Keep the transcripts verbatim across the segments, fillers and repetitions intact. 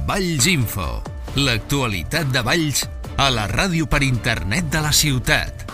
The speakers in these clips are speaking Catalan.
Valls Info, l'actualitat de Valls a la ràdio per internet de la ciutat.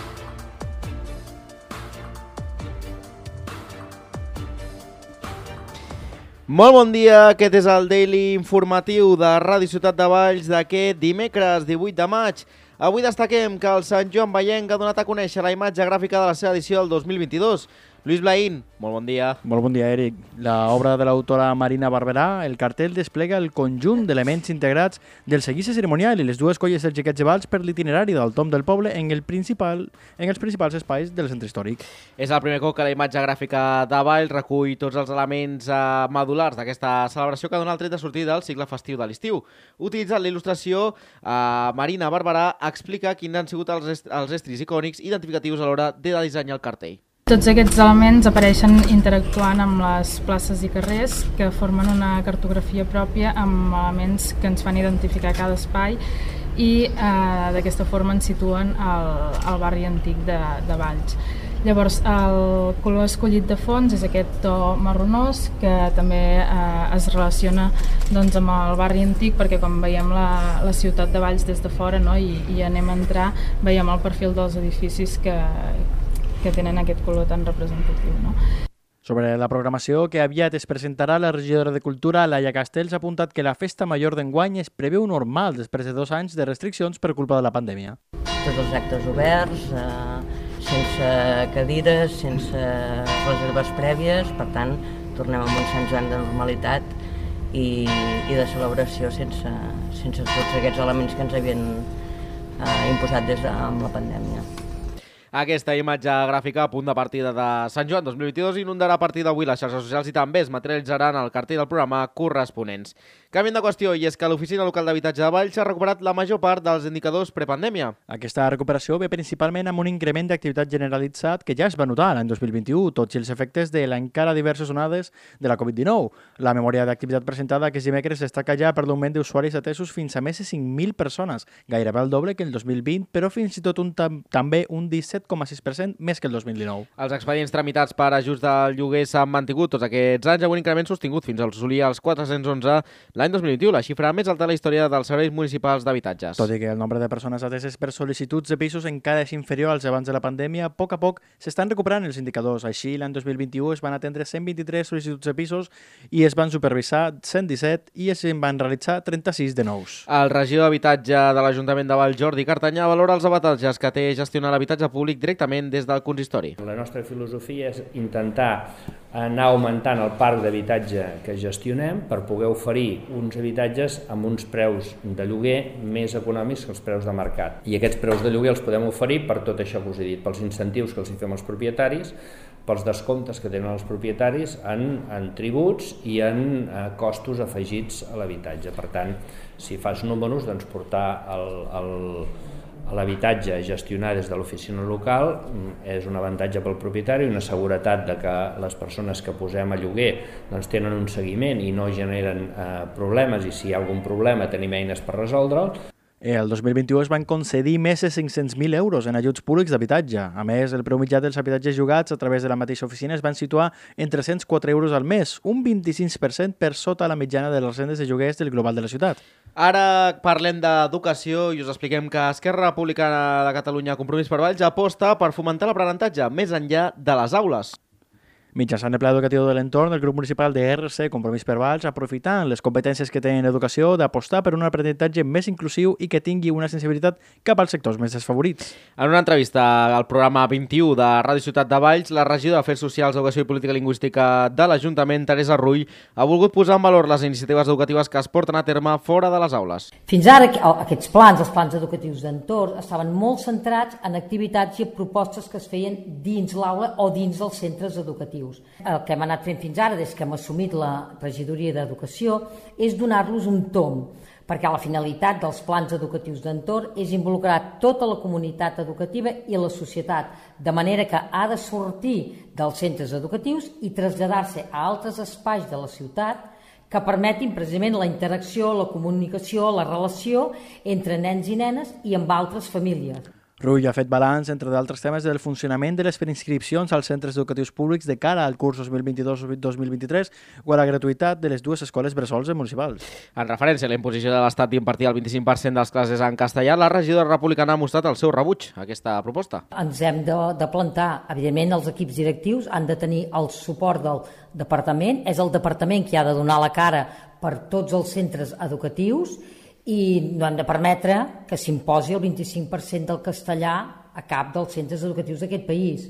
Molt bon dia, aquest és el Daily Informatiu de Ràdio Ciutat de Valls d'aquest dimecres divuit de maig. Avui destaquem que el Sant Joan Vallenc ha donat a conèixer la imatge gràfica de la seva edició del dos mil vint-i-dos. Lluís Blaín, molt bon dia. Molt bon dia, Eric. L'obra de l'autora Marina Barberà, el cartell desplega el conjunt d'elements integrats del seguici cerimonial i les dues colles dels xiquets de Valls per l'itinerari del Tom del Poble en, el principal, en els principals espais del centre històric. És el primer cop que la imatge gràfica de Valls recull tots els elements eh, medulars d'aquesta celebració que dona el tret de sortida del cicle festiu de l'estiu. Utilitzant la il·lustració, eh, Marina Barberà explica quins han sigut els, est els estris icònics identificatius a l'hora de dissenyar el cartell. Tots aquests elements apareixen interactuant amb les places i carrers que formen una cartografia pròpia amb elements que ens fan identificar cada espai i eh, d'aquesta forma ens situen al, al barri antic de, de Valls. Llavors, el color escollit de fons és aquest to marronós que també eh, es relaciona doncs, amb el barri antic perquè quan veiem la, la ciutat de Valls des de fora, no, i, i anem a entrar, veiem el perfil dels edificis que que tenen aquest color tan representatiu. No? Sobre la programació que aviat es presentarà, la regidora de Cultura, Laia Castells, ha apuntat que la festa major d'enguany es preveu normal després de dos anys de restriccions per culpa de la pandèmia. Tots els actes oberts, eh, sense cadires, sense reserves prèvies, per tant, tornem a un Sant Joan de normalitat i, i de celebració sense, sense tots aquests elements que ens havien eh, imposat des de amb la pandèmia. Aquesta imatge gràfica a punt de partida de Sant Joan dos mil vint-i-dos inundarà a partir d'avui les xarxes socials i també es materialitzaran el cartell del programa corresponents. Canviem de qüestió, i és que l'Oficina Local d'Habitatge de Valls ha recuperat la major part dels indicadors prepandèmia. Aquesta recuperació ve principalment amb un increment d'activitat generalitzat que ja es va notar l'any dos mil vint-i-u, tots els efectes de l'encara diverses onades de la Covid dinou. La memòria d'activitat presentada aquest dimecres destaca ja per l'augment d'usuaris atesos fins a més de cinc mil persones, gairebé el doble que el dos mil vint, però fins i tot un tam també un disset coma sis per cent més que el dos mil dinou. Els expedients tramitats per ajuts del lloguer s'han mantingut tots aquests anys amb un increment sostingut fins a assolir els quatre-cents onze l'any dos mil vint-i-u, la xifra més alta de la història dels serveis municipals d'habitatges. Tot i que el nombre de persones ateses per sol·licituds de pisos encara és inferior als abans de la pandèmia, a poc a poc s'estan recuperant els indicadors. Així, l'any dos mil vint-i-u es van atendre cent vint-i-tres sol·licituds de pisos i es van supervisar cent disset i es van realitzar trenta-sis de nous. El regidor d'Habitatge de l'Ajuntament de Valls, Jordi Cartanyà, valora els avantatges que té gestionar l'habitatge públic directament des del consistori. La nostra filosofia és intentar anar augmentant el parc d'habitatge que gestionem per poder oferir uns habitatges amb uns preus de lloguer més econòmics que els preus de mercat. I aquests preus de lloguer els podem oferir per tot això que us he dit, pels incentius que els hi fem als propietaris, pels descomptes que tenen els propietaris en, en tributs i en eh, costos afegits a l'habitatge. Per tant, si fas números, doncs portar el, el l'habitatge gestionat des de l'oficina local és un avantatge pel propietari, una seguretat de que les persones que posem a lloguer doncs, tenen un seguiment i no generen eh, problemes, i si hi ha algun problema tenim eines per resoldre'l. El dos mil vint-i-u es van concedir més de cinc-cents mil euros en ajuts públics d'habitatge. A més, el preu mitjà dels habitatges llogats a través de la mateixa oficina es van situar en tres-cents quatre euros al mes, un vint-i-cinc per cent per sota la mitjana de les rendes de lloguers del global de la ciutat. Ara parlem d'educació i us expliquem que Esquerra Republicana de Catalunya Compromís per Valls aposta per fomentar l'aprenentatge més enllà de les aules. Mitjançant el Pla Educatiu de l'Entorn, el grup municipal de R C Compromís per Valls, aprofitant les competències que tenen en educació, d'apostar per un aprenentatge més inclusiu i que tingui una sensibilitat cap als sectors més desfavorits. En una entrevista al programa vint-i-u de Ràdio Ciutat de Valls, la regidora d'Afers Socials, Educació i Política Lingüística de l'Ajuntament, Teresa Rull, ha volgut posar en valor les iniciatives educatives que es porten a terme fora de les aules. Fins ara, aquests plans, els plans educatius d'entorn, estaven molt centrats en activitats i propostes que es feien dins l'aula o dins dels centres educatius. El que hem anat fent fins ara, des que hem assumit la regidoria d'Educació, és donar-los un tomb, perquè la finalitat dels plans educatius d'entorn és involucrar tota la comunitat educativa i la societat, de manera que ha de sortir dels centres educatius i traslladar-se a altres espais de la ciutat que permetin precisament la interacció, la comunicació, la relació entre nens i nenes i amb altres famílies. Rull ha fet balanç, entre d'altres temes, del funcionament de les preinscripcions als centres educatius públics de cara al curs dos mil vint-i-dos dos mil vint-i-tres o a la gratuïtat de les dues escoles bressols municipals. En referència a la imposició de l'Estat d'impartir el vint-i-cinc per cent de les classes en castellà, la regidora republicana ha mostrat el seu rebuig a aquesta proposta. Ens hem de, de plantar. Evidentment, els equips directius han de tenir el suport del departament. És el departament qui ha de donar la cara per tots els centres educatius i no hem de permetre que s'imposi el vint-i-cinc per cent del castellà a cap dels centres educatius d'aquest país.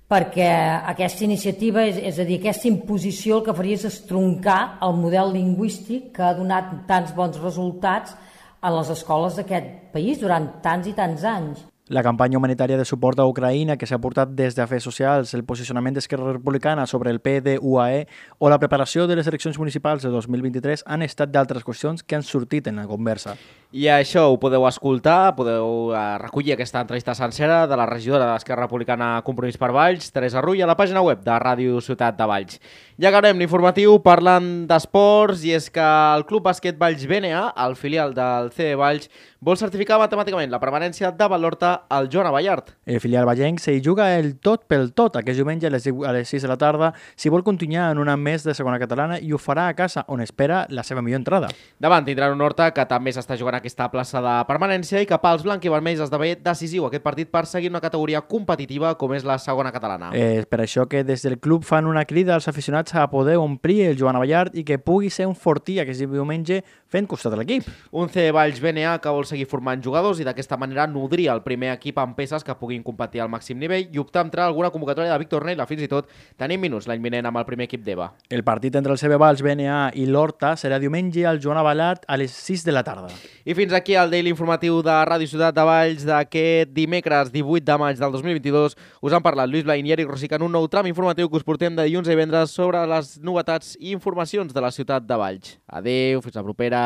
Perquè aquesta iniciativa, és, és a dir, aquesta imposició el que faria és estroncar el model lingüístic que ha donat tants bons resultats a les escoles d'aquest país durant tants i tants anys. La campanya humanitària de suport a Ucraïna que s'ha portat des d'Afers Socials, el posicionament d'Esquerra Republicana sobre el P D U A E o la preparació de les eleccions municipals de dos mil vint-i-tres han estat d'altres qüestions que han sortit en la conversa. I això ho podeu escoltar, podeu recollir aquesta entrevista sencera de la regidora d'Esquerra Republicana Compromís per Valls, Teresa Rull, a la pàgina web de Ràdio Ciutat de Valls. Ja acabem l'informatiu parlant d'esports, i és que el Club Bàsquet Valls B N A, el filial del C B Valls, vol certificar matemàticament la permanència de Valorta al Joan Abellart. El filial vallenc s'hi juga el tot pel tot aquest diumenge a les, a les sis de la tarda si vol continuar en un any més de segona catalana, i ho farà a casa, on espera la seva millor entrada. Davant tindran un Horta que també s'està jugant aquesta plaça de permanència i que pels blanc-i-vermells esdevé decisiu aquest partit per seguir una categoria competitiva com és la segona catalana. És per això que des del club fan una crida als aficionats a poder omplir el Joan Abellart i que pugui ser un fortí aquest diumenge fent costat a l'equip. Un C Valls B N A que vol seguir formant jugadors i d'aquesta manera nodrir el primer equip amb peces que puguin competir al màxim nivell i optar a entrar a alguna convocatòria de Víctor Neila, fins i tot tenint minuts l'any vinent amb el primer equip d'E V A. El partit entre el C B Valls B N A i l'Horta serà diumenge al Joan Abellart a les sis de la tarda. I fins aquí el Daily Informatiu de Ràdio Ciutat de Valls d'aquest dimecres divuit de maig del dos mil vint-i-dos. Us han parlat Lluís Blain i Eric Rosic en un nou tram informatiu que us portem de dilluns a divendres sobre les novetats i informacions de la ciutat de Valls. Adéu, fins la propera.